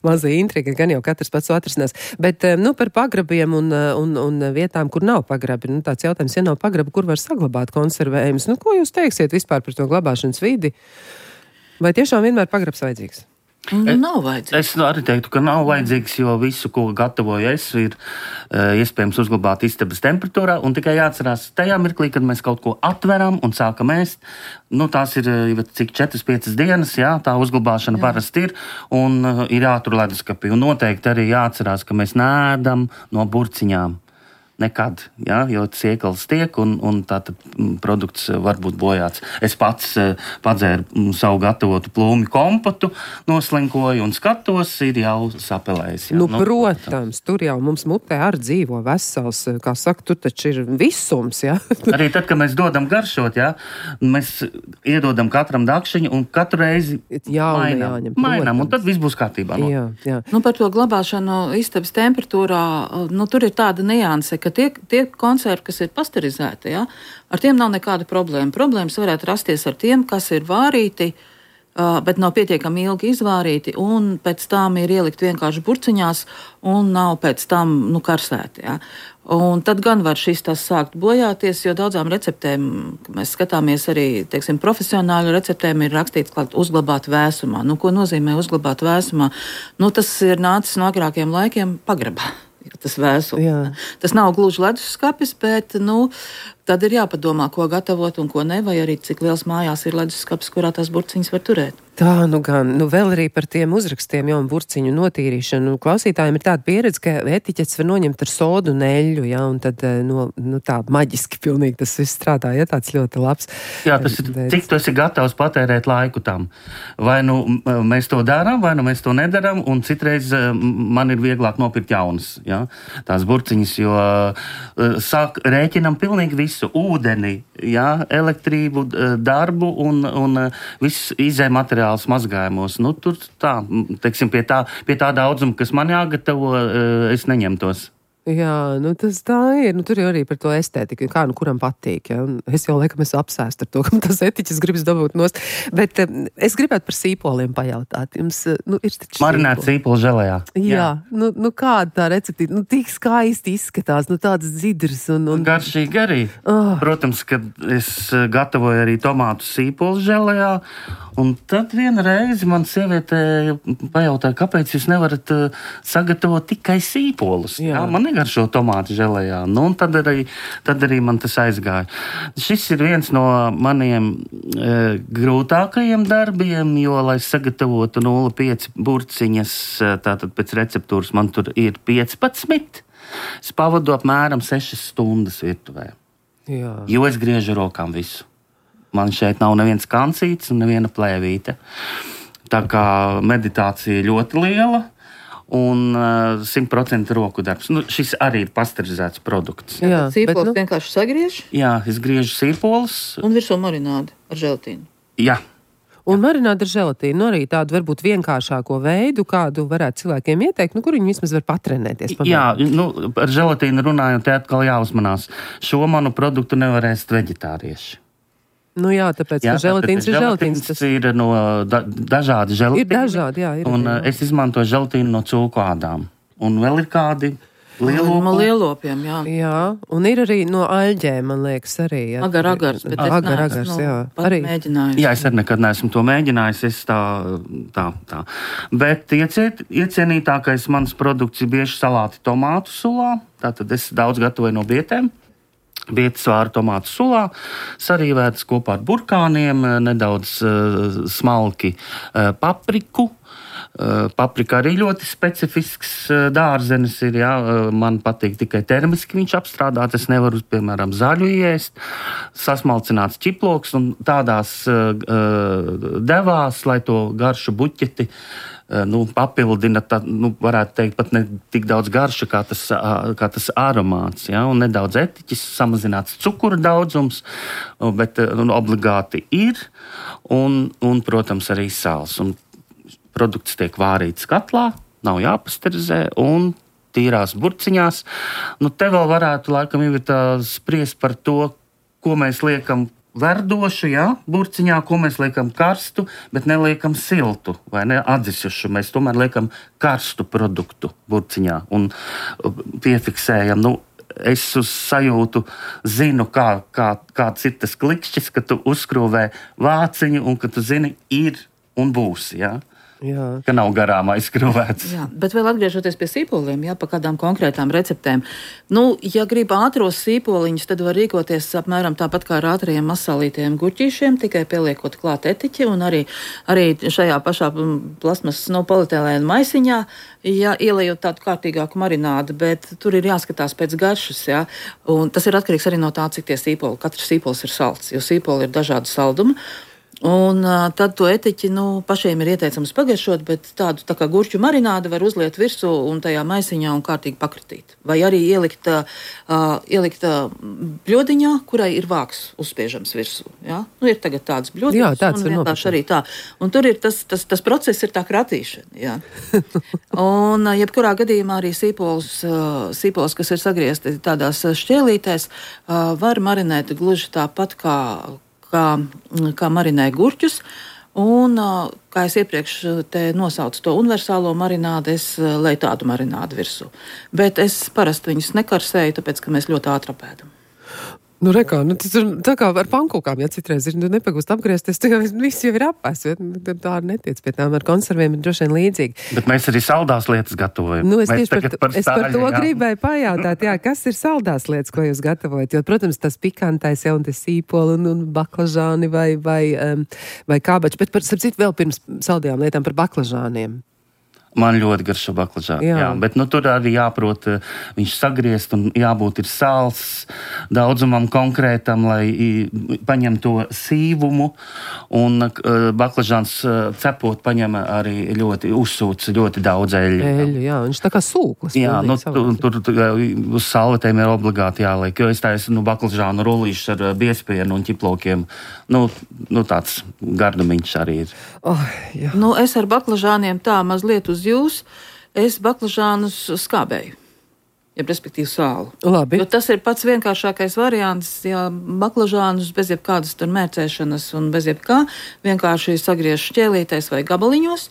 mazā intriga, gan jau katrs pats atrisinās. Bet par pagrabiem un vietām, kur nav pagrabi, tāds jautājums, ja nav pagrabi, kur var saglabāt konservējumus? Ko jūs teiksiet vispār par to glabāšanas vidi? Vai tiešām vienmēr pagrabs vajadzīgs?
Nav vajadzīgs.
Es arī teiktu, ka nav vajadzīgs, jo visu, ko gatavoju es, ir iespējams uzglabāt istabas temperatūrā, un tikai jāatcerās tajā mirklī, kad mēs kaut ko atveram un sākam ēst. Tās ir cik 4-5 dienas, tā uzglabāšana parasti ir, un ir jātur leduskapī. Un noteikti arī jāatcerās, ka mēs neēdam no burciņām. Nekad, jo ciekals tiek un tātad produkts var būt bojāts. Es pats padzēru savu gatavotu plūmi kompotu, noslinkoju un skatos, ir jau sapelējis.
Protams, tur jau mums mutē arī dzīvo vesels, kā saka, tur taču ir visums,
Arī tad, kad mēs dodam garšot, mēs iedodam katram dakšiņu un katru reizi mainām, un tad viss būs kārtībā.
Jā.
Par to glabāšanu istabas temperatūrā, tur ir tāda nianse, ka tie konservi, kas ir pasterizēti, ar tiem nav nekāda problēma. Problēmas varētu rasties ar tiem, kas ir vārīti, bet nav pietiekami ilgi izvārīti, un pēc tam ir ielikt vienkārši burciņās, un nav pēc tam karsēti. Un tad gan var šis tas sākt bojāties, jo daudzām receptēm, mēs skatāmies arī, teiksim, profesionāļu receptēm ir rakstīts klāt uzglabāt vēsumā. Ko nozīmē uzglabāt vēsumā? Tas ir nācis no agrākiem laikiem pagrabā. Tas vēsums. Tas nav gluži leduskapis, bet tad ir jāpadomā, ko gatavot un ko ne, vai arī cik liels mājās ir leduskapis, kurā tās burciņas var turēt.
Tā, nu gan, vēl arī par tiem uzrakstiem jau un burciņu notīrīšanu. Klausītājiem ir tāda pieredze, ka etiķetes var noņemt ar sodu un eļļu, ja, un tad, tā maģiski pilnīgi tas viss strādā, ja, tāds ļoti labs.
Jā, tas ir, cik tu esi gatavs patērēt laiku tam. Vai mēs to darām, vai mēs to nedaram, un citreiz man ir vieglāk nopirkt jaunas, ja, tās burciņas, jo rēķinam pilnīgi visu, ūdeni, ja, elektrību, darbu un viss izē materiāls mazgājumos. Tur tā, teiksim, pie tā daudzuma, kas man jāgatavo, es neņemtos.
Jā, tas tā ir. Tur jau arī par to estētiku, kā kuram patīk. Ja? Es jau laikam esmu apsēst ar to, ka tas etiķis gribas dabūt nost. Bet es gribētu par sīpoliem pajautāt. Jums ir taču
marinēt sīpolu želejā.
Jā. Kāda tā receptīte? Tik skaisti izskatās, tādas dzidras un...
Garšīgi arī. Protams, ka es gatavoju arī tomātu sīpolu želejā. Un tad viena reize man sieviete pajautāja, kāpēc jūs nevarat sagatavot tikai sīpolus? Jā, man negaršo tomātu želejā. Un tad arī man tas aizgāja. Šis ir viens no maniem grūtākajiem darbiem, jo, lai sagatavotu 0,5 burciņas, tātad pēc receptūras man tur ir 15, es pavadu apmēram 6 stundas virtuvē.
Jā.
Jo es griežu rokām visu. Man šeit nav neviens kancīts un neviena plēvīte. Tā kā meditācija ļoti liela un 100% roku darbs. Šis arī ir pasterizēts produkts.
Jā, sīpols vienkārši sagriež?
Jā, es griežu sīpolus.
Un virsū marinādi ar želatīnu?
Jā.
Un marinādi ar želatīnu arī tādu varbūt vienkāršāko veidu, kādu varētu cilvēkiem ieteikt, kur viņi vismaz var patrenēties.
Jā, ar želatīnu runājot, te atkal jāuzmanās. Šo manu produktu nevar ēst veģetārieši.
Jā, tāpēc, ka želatīns ir želatīns.
Tas ir no dažādi želatīni.
Ir dažādi, jā.
Un es izmantoju želatīnu no cūku ādām. Un vēl ir kādi
lielopiem, jā.
Jā, un ir arī no aļģēm, man liekas, arī. Jā.
Agars, bet es neesmu pat mēģinājis.
Jā, es arī nekad neesmu to mēģinājis, es tā. Bet iecienītākais mans produkts ir bieži salāti tomātu sulā, tātad es daudz gatavoju no bietēm. Bietas vāra tomātu sulā, sarīvētas kopā ar burkāniem, nedaudz smalki papriku. Paprika arī ļoti specifisks dārzenis ir, jā. Man patīk tikai termiski viņš apstrādāt, es nevaru, piemēram, zaļu iest, sasmalcināts ķiploks un tādās devās, lai to garšu buķeti papildina, varētu teikt, pat ne tik daudz garša, kā tas aromāts, ja? Un nedaudz etiķis, samazināts cukura daudzums, bet obligāti ir, un, protams, arī sāls. Un produkts tiek vārīts katlā, nav jāpasterizē, un tīrās burciņās. Te vēl varētu, laikam, spriest par to, ko mēs liekam verdošu, jā, burciņā, ko mēs liekam karstu, bet neliekam siltu vai ne atdzisušu. Mēs tomēr liekam karstu produktu burciņā un piefiksējam. Es uz sajūtu zinu, kāds ir tas klikšķis, ka tu uzskrūvē vāciņu un ka tu zini, ir un būs, jā. Jā. Ka nav garām aizskrūvēts.
Jā, bet vēl atgriežoties pie sīpoliem, jā, pa kādām konkrētām receptēm. Ja grib ātros sīpoliņus, tad var rīkoties apmēram tāpat kā ar ātriem masalītiem gurķīšiem, tikai pieliekot klāt etiķi un arī šajā pašā plasmas polietilēna maisiņā, ja ielejot tādu kārtīgāku marinādu, bet tur ir jāskatās pēc garšas, jā. Un tas ir atkarīgs arī no tā, cik tie sīpoli. Katrs sīpols ir salds, jo sīpoli ir dažādu saldumu. Un tad to etiķi pašiem ir ieteicams pagaršot, bet tādu tā kā gurķu marinādu var uzliet virsū un tajā maisiņā un kārtīgi pakratīt. Vai arī ielikt bļodiņā, kurai ir vāks uzspiežams virsū. Ja? Ir tagad tāds bļodiņš.
Jā, tāds
un vienkārši arī tā. Un tur ir tas process ir tā kratīšana. Ja? Un jebkurā gadījumā arī sīpols, kas ir sagriezti tādās šķēlītēs, var marinēt gluži tāpat kā marinēja gurķus, un, kā es iepriekš te nosaucu to universālo marinādu, es leju tādu marinādu virsū. Bet es parasti viņus nekarsēju, tāpēc, ka mēs ļoti ātri apēdam.
Nu, rekā, tas ir tā kā ar pankūkām, ja citreiz ir nepagūst apgriezties, tā viss jau ir apēs, tā netiec pie tām ar konserviem ir droši vien līdzīgi.
Bet mēs arī saldās lietas gatavojam.
Nu, es par to gribēju pajautāt, kas ir saldās lietas, ko jūs gatavojat, jo, protams, tas pikantais jau un tas sīpoli un baklažāni vai kābači, bet starp citu vēl pirms saldajām lietām par baklažāniem.
Man ļoti garšo baklažāni, jā. Bet tur arī jāprot viņš sagriezt un jābūt ir sāls daudzumam konkrētam, lai paņem to sīvumu. Un baklažāns cepot paņem arī ļoti uzsūc ļoti daudz eļļu.
Eļļu, jā, viņš tā kā sūklis.
Jā, tur uz salvetēm ir obligāti jāliek, jo es taisu baklažānu rullīšus ar biespienu un ķiplokiem. Tāds gardumiņš arī ir.
Jā. Es ar baklažāniem tā mazliet uz jūs, es baklažānus skābēju, respektīvi sālu.
Labi.
Jo tas ir pats vienkāršākais variants, ja baklažānus bez jebkādas tur mērcēšanas un bez jebkā, vienkārši sagriež šķēlītais vai gabaliņos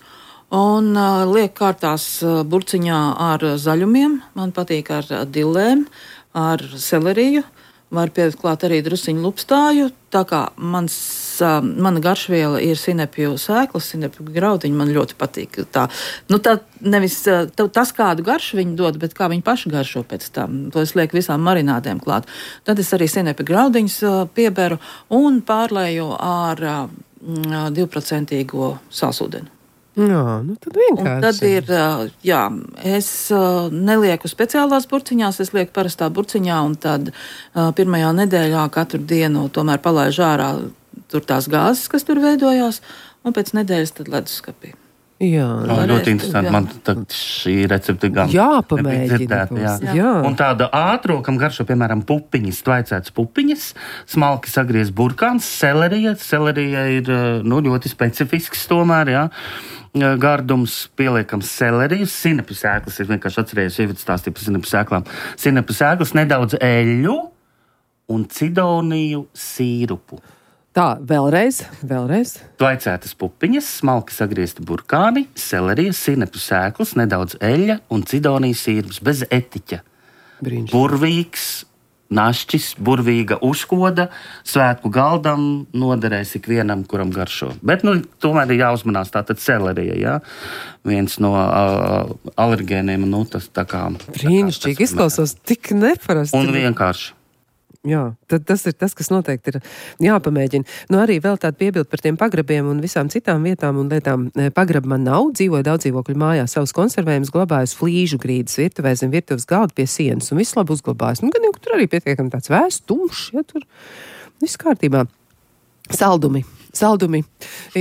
un liek kārtās burciņā ar zaļumiem, man patīk ar dillēm, ar seleriju. Var pielikt klāt arī drusiņu lupstāju, tā kā mana garšviela ir sinepju sēklas, sinepju graudiņi, man ļoti patīk. Tā nevis tas, kādu garšu viņi dod, bet kā viņi paši garšo pēc tam. To es lieku visām marinādēm klāt. Tad es arī sinepju graudiņus pieberu un pārlēju ar 2% sālsūdeni.
Jā, tad vienkārši.
Un tad ir, es nelieku speciālās burciņās, es lieku parastā burciņā, un tad pirmajā nedēļā katru dienu tomēr palaižu ārā tur tās gāzes, kas tur veidojās, un pēc nedēļas tad leduskapī.
Jā,
ļoti interesanti. Man šī recepte gan
jāpamēģina.
Jā. Un tāda ātro, kam garšo, piemēram, pupiņas, tvaicētas pupiņas, smalki sagriez burkāns, selerija. Selerija ir ļoti specifisks tomēr, jā. Gardums pieliekams seleriju, sinepju sēklas, ir vienkārši atcerējies, ievietas stāstīja par sinepju sēklām. Sinepju sēklas, nedaudz eļļu un cidoniju sīrupu.
Tā, vēlreiz.
Tvaicētas pupiņas, smalki sagriezti burkāni, selerija, sinepju sēklas, nedaudz eļļa un cidonijas sīrups bez etiķa.
Brīnišķīgi.
Burvīgs, našķis, burvīga uzkoda, svētku galdam noderēs ikvienam, kuram garšo. Bet, tomēr ir jāuzmanās tātad selerija, jā. Viens no alergēniem, tas tā kā...
Brīnišķīgi, izklausās tik neparasti.
Un vienkārši.
Jā, tad tas ir tas, kas noteikti ir jāpamēģina. Arī vēl tāda piebilda par tiem pagrabiem un visām citām vietām un lietām. Pagraba man nav, dzīvoju daudz dzīvokļu mājā, savus konservējumus glabāju flīžu grīdas virtuvē zem virtuves galda pie sienas un viss labi uzglabājas. Gan jau tur arī pietiekami tāds vēsts, tumšs, ja tur viss kārtībā. Saldumi.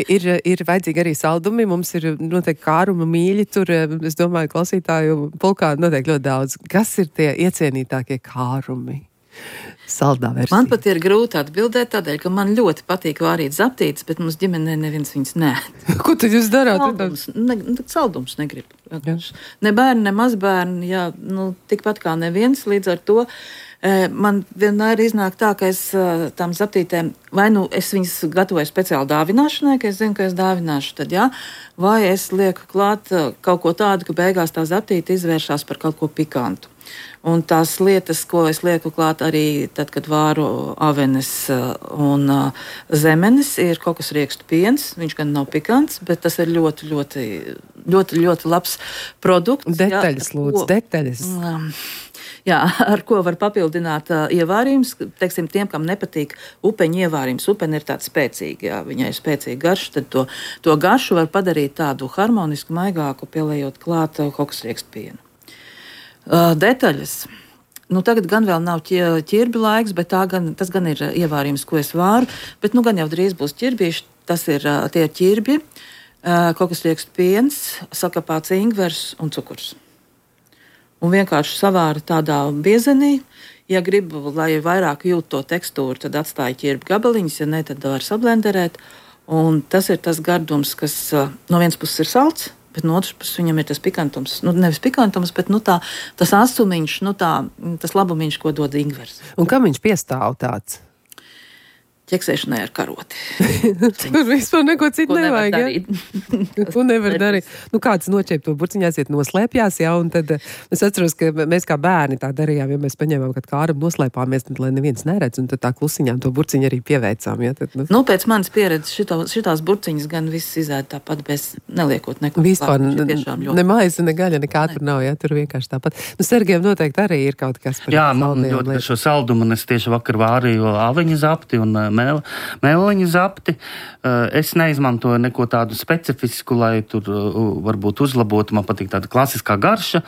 Ir vajadzīgi arī saldumi. Mums ir noteikti kāruma mīļi tur, es domāju, klausītāju pulkā noteikti ļoti daudz. Kas ir tie iecienītākie kārumi? Saldā versija. Man
pat ir grūti atbildēt tādēļ, ka man ļoti patīk vārīt zaptītes, bet mums ģimenē neviens viņas nē.
Ko tad jūs darāt?
Saldums negrib. Ne bērni, ne mazbērni, tikpat kā neviens, līdz ar to man vienmēr iznāk tā, ka es tām zaptītēm, vai es viņas gatavoju speciāli dāvināšanai, ka es zinu, ka es dāvināšu, tad vai es lieku klāt kaut ko tādu, ka beigās tā zaptīte izvēršās par kaut ko pikantu. Un tās lietas, ko es lieku klāt arī tad, kad vāru avenes un zemenes, ir kokosriekstu piens. Viņš gan nav pikants, bet tas ir ļoti, ļoti, ļoti, ļoti labs produkts.
Detaļas, lūdzu, detaļas.
Jā, ar ko var papildināt ievārījums, teiksim, tiem, kam nepatīk upeņu ievārījums. Upeņi ir tāds spēcīgi, viņai ir spēcīga garša, tad to garšu var padarīt tādu harmonisku, maigāku, pieliejot klāt kokosriekstu pienu. Detaļas. Tagad gan vēl nav ķirbju laiks, bet tas gan ir ievārījums, ko es vāru, bet gan jau drīz būs ķirbīši. Tas ir tie ķirbji, kokosriekstu piens, sakapāts ingvers un cukurs. Un vienkārši savāra tādā biezenī. Ja gribu, lai vairāk jūt to tekstūru, tad atstāja ķirbju gabaliņus, ja ne, tad var sablenderēt. Un tas ir tas gardums, kas no vienas puses ir salds, bet no otras puses viņam ir tas pikantums. Nevis pikantums, bet tas asumiņš, tas labumiņš, ko dod ingvers.
Un kam viņš piestāv tāds?
ķeksēšanai ar karoti.
Tur vispār neko citu nevajag, ja? Ko nevar darīt? Nu, kāds noķēp to burciņu, aiziet noslēpjās, ja, un tad es atceros, ka mēs kā bērni tā darījām, ja mēs paņēmām, kad kāram noslēpāmies, tad, lai neviens neredz, un tad tā klusiņām to burciņu arī pieveicām, ja? Tad,
nu, pēc manas pieredzes šitās burciņas gan viss izēd tāpat bez neliekot neko.
Vispār ne maize, ne gaļa, nekā tur nav, ja? Tur vienkārši tāpat. Nu, Sergejam noteikti arī ir kaut kas par
jā, man ļoti par šo saldumu, un es tieši vakar vārīju aviņu zapti un mēliņu zapti. Es neizmantoju neko tādu specifisku, lai tur varbūt uzlabotu. Man patīk tāda klasiskā garša.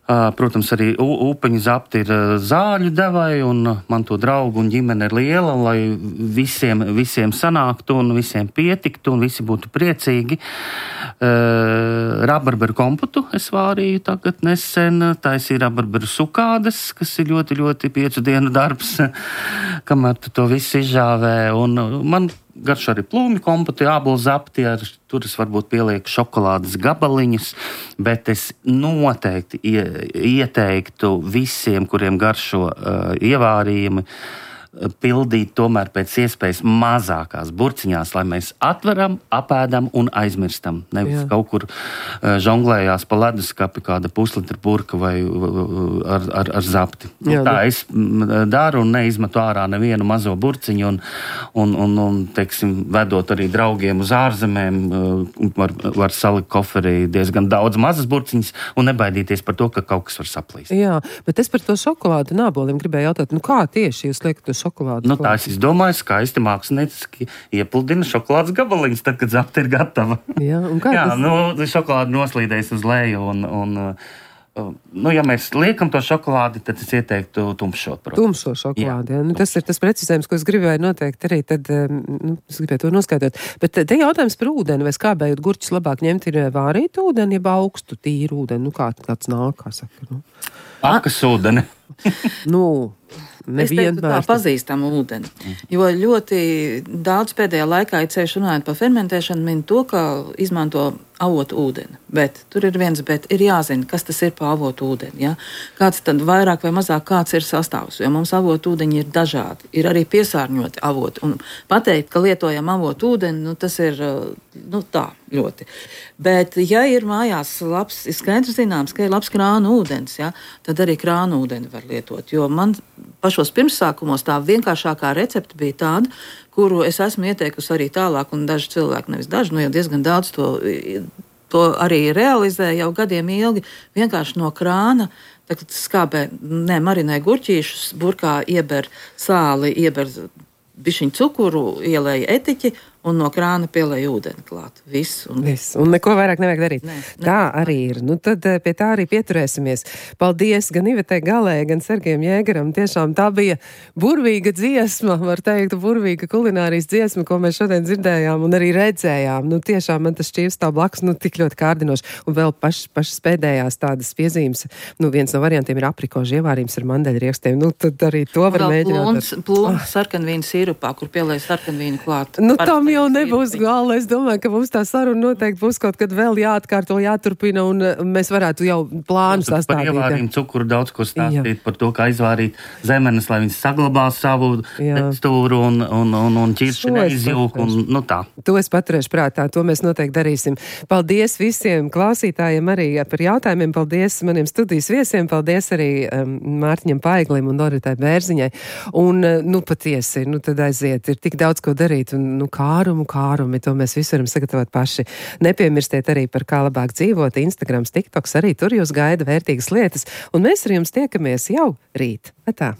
Protams, arī upeņu zapti ir zāļu devai, un man to draugu un ģimene ir liela, lai visiem sanāktu un visiem pietiktu, un visi būtu priecīgi. Rabarberu kompotu es vārīju tagad nesen, taisīju rabarberu sukādes, kas ir ļoti, ļoti 5 dienu darbs, kamēr tu to visu izžāvē, un man garšo arī plūmi kompotu, ābolu zapti, tur es varbūt pielieku šokolādes gabaliņus, bet es noteikti ieteiktu visiem, kuriem garšo ievārījumi, pildīt tomēr pēc iespējas mazākās burciņās, lai mēs atveram, apēdam un aizmirstam. Nevis kaut kur žonglējās pa leduskapi kāda puslitra burka vai ar zapti. Jā, tā es daru un neizmetu ārā nevienu mazo burciņu un teiksim, vedot arī draugiem uz ārzemēm, var salikt koferī diezgan daudz mazas burciņas un nebaidīties par to, ka kaut kas var saplīst.
Jā, bet es par to šokolādu un āboliem gribēju jautāt, nu kā tieši jūs liekat to šokolādu?
Nu, tā es izdomāju, skaisti mākslinieciski iepludina šokolādes gabaliņus, tad, kad zapta ir gatava.
Jā, un kā tas?
Nu, šokolādi noslīdēs uz leju nu, ja mēs liekam to šokolādi, tad es ieteiktu tumšot.
Tumšo šokolādi, jā. Nu, tas ir tas precizējums, ko es gribēju noteikti arī, tad es gribēju to noskaidrot. Bet te jautājums par ūdeni, vai skābējot gurķus labāk ņemt ir vārīt ūdeni, jeb augstu tīru ūdeni, nu kā tāds nāk, kā saka, nu.
Akas ūdeni.
Nu,
es teiktu tā pazīstamu ūdeni, jo ļoti daudz pēdējā laikā ir ceļš runājot par fermentēšanu, min to, ka izmanto avotu ūdeni, bet tur ir viens, bet ir jāzina, kas tas ir pa avotu ūdeni, ja? Kāds tad vairāk vai mazāk kāds ir sastāvs, jo mums avotu ūdeņi ir dažādi, ir arī piesārņoti avoti, un pateikt, ka lietojam avotu ūdeni, nu tas ir, nu tā, ļoti. Bet, ja ir mājās labs, ir skaidrs zināms, ka ir labs krānu ūdens, ja, tad arī krānu ūdeni var lietot, jo man pašos pirmsākumos tā vienkāršākā recepte bija tāda, kuru es esmu ieteikusi arī tālāk, un daži cilvēki, nevis daži, nu jau diezgan daudz to arī realizē jau gadiem ilgi, vienkārši no krāna, tagad skābē, marinē gurķīšus, burkā ieber sāli, ieber bišķiņu cukuru, ielēja etiķi, un no krāna pielēja ūdeni klāt. Viss.
Un neko vairāk nevajag darīt. Tā arī ir. Nu tad pie tā arī pieturēsimies. Paldies gan Ivetei Galē, gan Sergejam Jēgeram. Tiešām tā bija burvīga dziesma, var teikt, burvīga kulinārijas dziesma, ko mēs šodien dzirdējām un arī redzējām. Nu tiešām man tas šķīvs tā blakus, nu tik ļoti kārdinoši. Un vēl pašas pēdējās tādas piezīmes. Nu viens no variantiem ir aprikožu ievārījums ar mandeļriekstiem. Nu tad arī to var mēģināt.
Plūns sarkanvīnu sīrupā, kur pielēja sarkanvīnu klāt.
Nu tam jau nebūs gala. Es domāju, ka mums tā saruna noteikti būs kaut kad vēl jāatkārto, jāturpina, un mēs varētu jau plānu sastādīt.
Par ievārījumu cukuru daudz ko stāstīt, par to, kā izvārīt zemenes, lai viņas saglabā savu tekstūru un ķirši neizjūk, un nu tā.
To es paturēšu prātā, to mēs noteikti darīsim. Paldies visiem klausītājiem arī par jautājumiem, paldies maniem studijas viesiem, paldies arī Mārtiņam Paiglim un Doritai Bērziņai. Un, nu patiesi, nu tad aiziet, ir tik daudz ko darīt, un nu kārumi, to mēs visu varam sagatavot paši. Nepiemirstiet arī par kā labāk dzīvot, Instagrams, TikToks, arī tur jūs gaida vērtīgas lietas, un mēs ar jums tiekamies jau rīt. Tā.